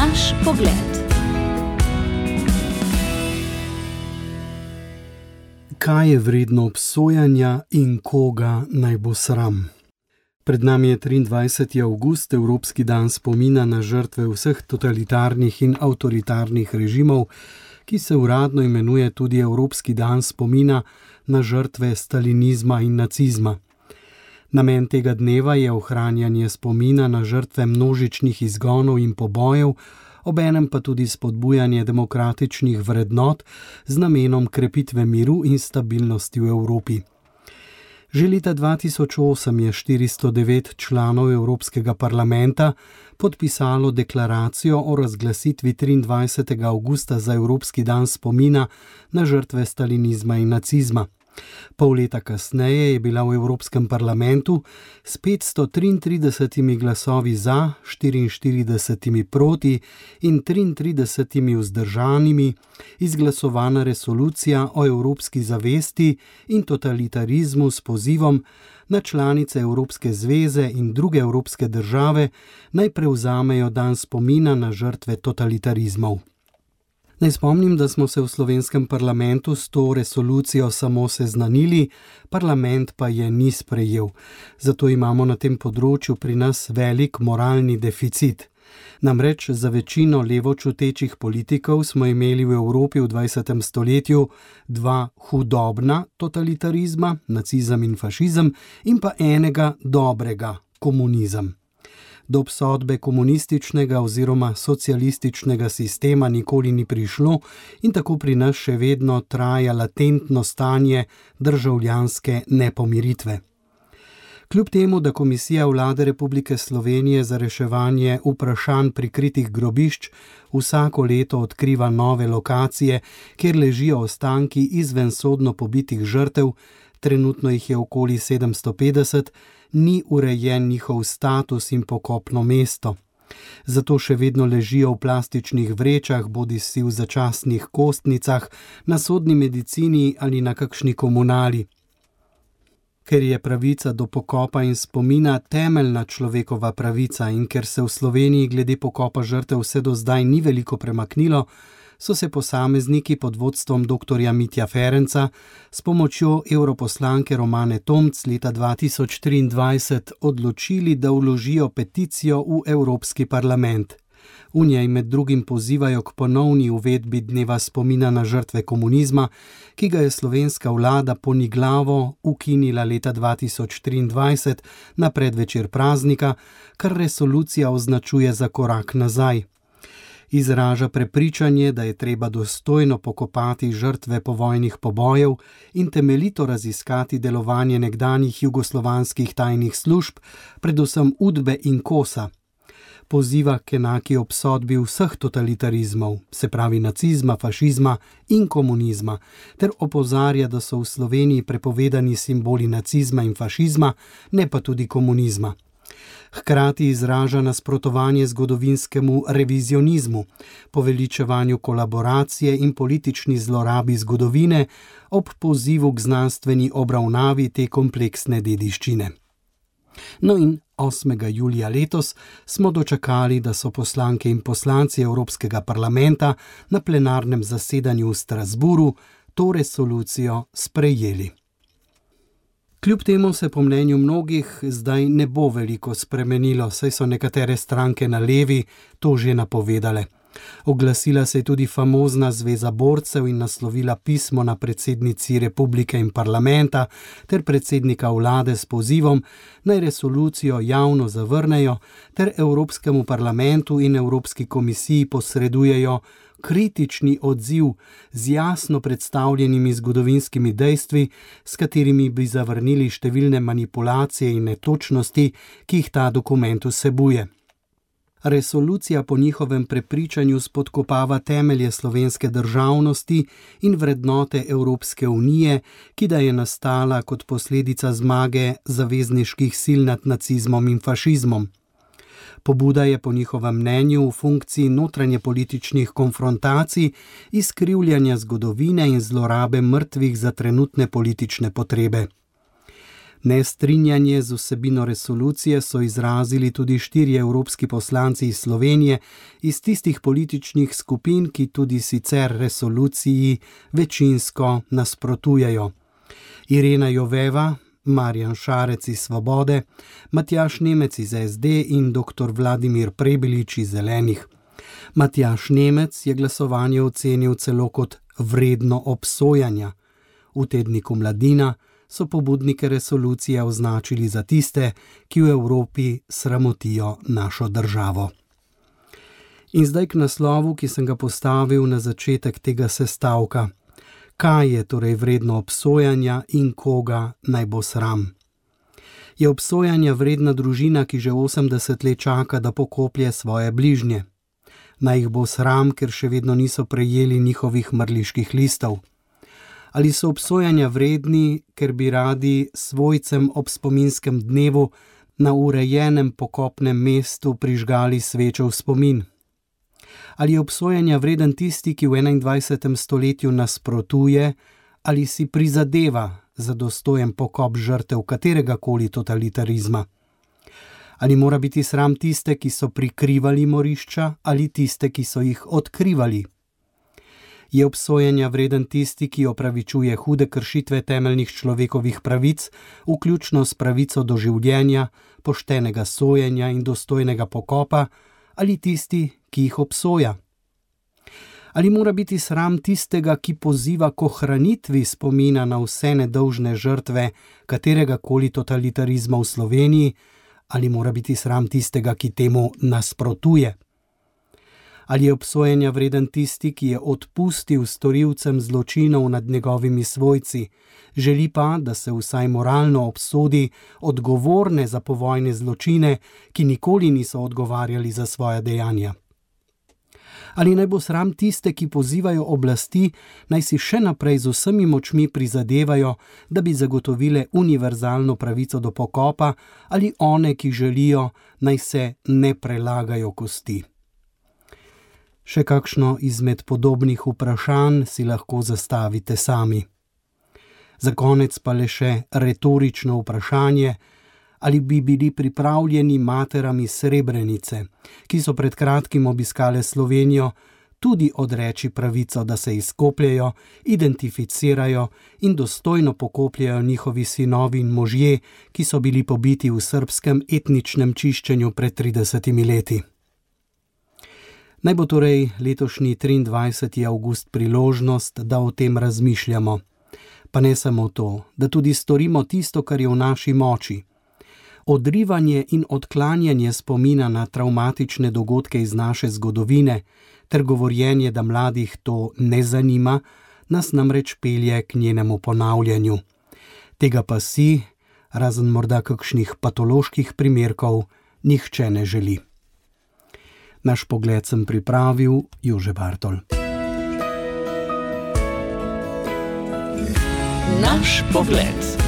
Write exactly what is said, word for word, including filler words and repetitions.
Naš pogled. Kaj je vredno obsojanja in koga naj bo sram? Pred nami je triindvajseti avgust, Evropski dan spomina na žrtve vseh totalitarnih in avtoritarnih režimov, ki se uradno imenuje tudi Evropski dan spomina na žrtve stalinizma in nacizma. Namen tega dneva je ohranjanje spomina na žrtve množičnih izgonov in pobojev, obenem pa tudi spodbujanje demokratičnih vrednot z namenom krepitve miru in stabilnosti v Evropi. Že leta dva tisoč osem je štiristo devet članov Evropskega parlamenta podpisalo deklaracijo o razglasitvi triindvajsetega avgusta za Evropski dan spomina na žrtve stalinizma in nacizma. Pol leta kasneje je bila v Evropskem parlamentu s petsto triintridesetimi glasovi za, štiriinštiridesetimi proti in triintridesetimi vzdržanimi izglasovana resolucija o evropski zavesti in totalitarizmu s pozivom na članice Evropske zveze in druge evropske države naj prevzamejo dan spomina na žrtve totalitarizmov. Naj spomnim, da smo se v slovenskem parlamentu s to resolucijo samo seznanili, parlament pa je ni sprejel. Zato imamo na tem področju pri nas velik moralni deficit. Namreč za večino levočutečih politikov smo imeli v Evropi v dvajsetem stoletju dva hudobna totalitarizma, nacizem in fašizem, in pa enega dobrega, komunizem. Do obsodbe komunističnega oziroma socialističnega sistema nikoli ni prišlo in tako pri nas še vedno traja latentno stanje državljanske nepomiritve. Kljub temu, da Komisija Vlade Republike Slovenije za reševanje vprašanj prikritih grobišč vsako leto odkriva nove lokacije, kjer ležijo ostanki izvensodno pobitih žrtev, trenutno jih je okoli sedemsto petdeset, ni urejen njihov status in pokopno mesto. Zato še vedno ležijo v plastičnih vrečah, bodisi v začasnih kostnicah, na sodni medicini ali na kakšni komunali. Ker je pravica do pokopa in spomina temeljna človekova pravica in ker se v Sloveniji glede pokopa žrtev vse do zdaj ni veliko premaknilo, so se posamezniki pod vodstvom doktorja Mitja Ferenca s pomočjo europoslanke Romane Tomc leta dva tisoč triindvajset odločili, da vložijo peticijo v Evropski parlament. V njej med drugim pozivajo k ponovni uvedbi dneva spomina na žrtve komunizma, ki ga je slovenska vlada poniglavo ukinila leta dva tisoč triindvajset na predvečer praznika, kar resolucija označuje za korak nazaj. Izraža prepričanje, da je treba dostojno pokopati žrtve povojnih pobojev in temeljito raziskati delovanje nekdanjih jugoslovanskih tajnih služb, predvsem Udbe in Kosa. Poziva k enaki obsodbi vseh totalitarizmov, se pravi nacizma, fašizma in komunizma, ter opozarja, da so v Sloveniji prepovedani simboli nacizma in fašizma, ne pa tudi komunizma. Hkrati izraža nasprotovanje zgodovinskemu revizionizmu, poveličevanju kolaboracije in politični zlorabi zgodovine ob pozivu k znanstveni obravnavi te kompleksne dediščine. No in osmega julija letos smo dočakali, da so poslanke in poslanci Evropskega parlamenta na plenarnem zasedanju v Strasburu to resolucijo sprejeli. Kljub temu se po mnenju mnogih zdaj ne bo veliko spremenilo, saj so nekatere stranke na levi to že napovedale. Oglasila se je tudi famozna Zveza borcev in naslovila pismo na predsednici republike in parlamenta ter predsednika vlade s pozivom, naj resolucijo javno zavrnejo ter Evropskemu parlamentu in Evropski komisiji posredujejo kritični odziv z jasno predstavljenimi zgodovinskimi dejstvi, s katerimi bi zavrnili številne manipulacije in netočnosti, ki jih ta dokument vsebuje. Resolucija po njihovem prepričanju spodkopava temelje slovenske državnosti in vrednote Evropske unije, ki da je nastala kot posledica zmage zavezniških sil nad nacizmom in fašizmom. Pobuda je po njihovem mnenju v funkciji notranjepolitičnih konfrontacij, izkrivljanja zgodovine in zlorabe mrtvih za trenutne politične potrebe. Nestrinjanje z vsebino resolucije so izrazili tudi štirje evropski poslanci iz Slovenije iz tistih političnih skupin, ki tudi sicer resoluciji večinsko nasprotujejo. Irena Joveva, Marjan Šarec iz Svobode, Matjaž Nemec iz es de in doktor Vladimir Prebilič iz Zelenih. Matjaž Nemec je glasovanje ocenil celo kot vredno obsojanja. V tedniku Mladina so pobudnike resolucije označili za tiste, ki v Evropi sramotijo našo državo. In zdaj k naslovu, ki sem ga postavil na začetek tega sestavka. Kaj je torej vredno obsojanja in koga naj bo sram? Je obsojanja vredna družina, ki že osemdeset let čaka, da pokoplje svoje bližnje? Naj jih bo sram, ker še vedno niso prejeli njihovih mrliških listov? Ali so obsojanja vredni, ker bi radi svojcem ob spominskem dnevu na urejenem pokopnem mestu prižgali svečo v spomin? Ali je obsojanja vreden tisti, ki v enaindvajsetem stoletju nasprotuje ali si prizadeva za dostojen pokop žrtev kateregakoli totalitarizma? Ali mora biti sram tiste, ki so prikrivali morišča, ali tiste, ki so jih odkrivali? Je obsojanja vreden tisti, ki opravičuje hude kršitve temeljnih človekovih pravic, vključno s pravico do življenja, poštenega sojenja in dostojnega pokopa, ali tisti, ki jih obsoja? Ali mora biti sram tistega, ki poziva k ohranitvi spomina na vse nedolžne žrtve kateregakoli totalitarizma v Sloveniji, ali mora biti sram tistega, ki temu nasprotuje? Ali je obsojanja vreden tisti, ki je odpustil storilcem zločinov nad njegovimi svojci, želi pa, da se vsaj moralno obsodi odgovorne za povojne zločine, ki nikoli niso odgovarjali za svoja dejanja? Ali naj bo sram tiste, ki pozivajo oblasti, naj si še naprej z vsemi močmi prizadevajo, da bi zagotovile univerzalno pravico do pokopa, ali one, ki želijo, naj se ne prelagajo kosti? Še kakšno izmed podobnih vprašanj si lahko zastavite sami. Za konec pa le še retorično vprašanje, ali bi bili pripravljeni materam iz Srebrenice, ki so pred kratkim obiskale Slovenijo, tudi odreči pravico, da se izkopljejo, identificirajo in dostojno pokopljajo njihovi sinovi in možje, ki so bili pobiti v srbskem etničnem čiščenju pred tridesetimi leti. Naj bo torej letošnji triindvajseti avgust priložnost, da o tem razmišljamo. Pa ne samo to, da tudi storimo tisto, kar je v naši moči. Odrivanje in odklanjanje spomina na travmatične dogodke iz naše zgodovine ter govorjenje, da mladih to ne zanima, nas namreč pelje k njenemu ponavljanju. Tega pa si, razen morda kakšnih patoloških primerkov, nihče ne želi. Naš pogled sem pripravil Jože Bartol. Naš pogled.